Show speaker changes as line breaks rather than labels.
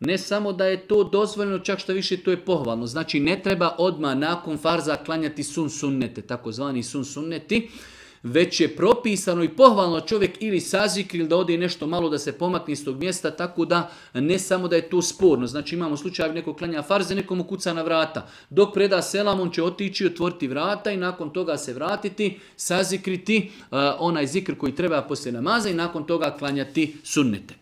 Ne samo da je to dozvoljeno, čak što više to je pohvalno. Znači ne treba odmah nakon farza klanjati sunnete, takozvani sunneti, već je propisano i pohvalno čovjek ili sazikri ili da ode nešto malo da se pomakne iz tog mjesta, tako da ne samo da je to sporno. Znači imamo slučaj neko klanja farze, nekomu kuca na vrata. Dok preda selam, on će otići, otvoriti vrata i nakon toga se vratiti, sazikriti onaj zikr koji treba poslije namaza i nakon toga klanjati sunnete.